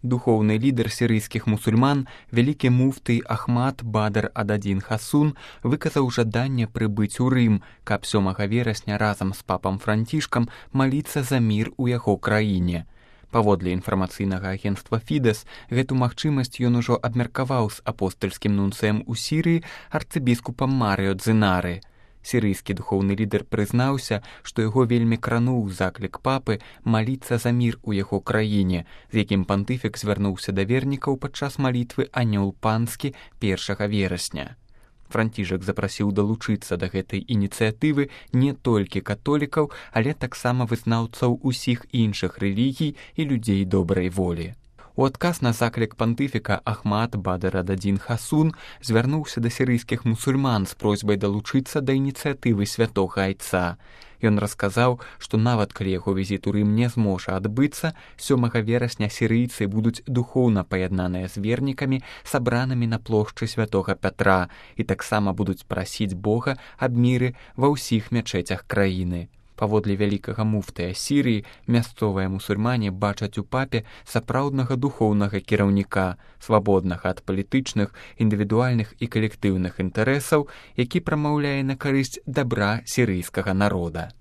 Духоўны лідар сірыйскіх мусульман, вялікі муфты Ахмад Бадр ад-Адзін Хасун выказаў жаданне прыбыць у Рым, каб 7 верасня разам з папам Францішкам маліцца за мір у яго краіне. Паводле інфармацыйнага агенцтва Фідэс, гэту магчымасць ён ужо абмеркаваў з апостальскім нунцыем у Сірыі арцыбіскупам Марыё Дзінары. Сірыйскі духоўны лідар прызнаўся, што яго вельмі крануў заклік папы маліцца за мір у яго краіне, з якім пантыфік звярнуўся да вернікаў падчас малітвы «Анёл панскі» 1 верасня. Францішак запрасіў далучыцца да гэтай ініцыятывы не толькі католікаў, але таксама вызнаўцаў усіх іншых рэлігій і людзей добрай волі. У адказ на заклік пантыфіка Ахмад Бадр ад-Адзін Хасун звярнуўся да сірыйскіх мусульман з просьбай далучыцца да ініцыятывы святога айца. Ён расказаў, што нават калі яго візіт у Рым не зможа адбыцца, 7 верасня сірыйцы будуць духоўна паяднаныя з вернікамі, сабранымі на плошчы святога Пятра, і таксама будуць прасіць Бога аб міры ва ўсіх мячэцях краіны. Паводле вялікага муфтыя Сірыі, мясцовыя мусульмане бачаць у папе сапраўднага духоўнага кіраўніка, свабоднага ад палітычных, індывідуальных і калектыўных інтарэсаў, які прамаўляе на карысць дабра сірыйскага народа.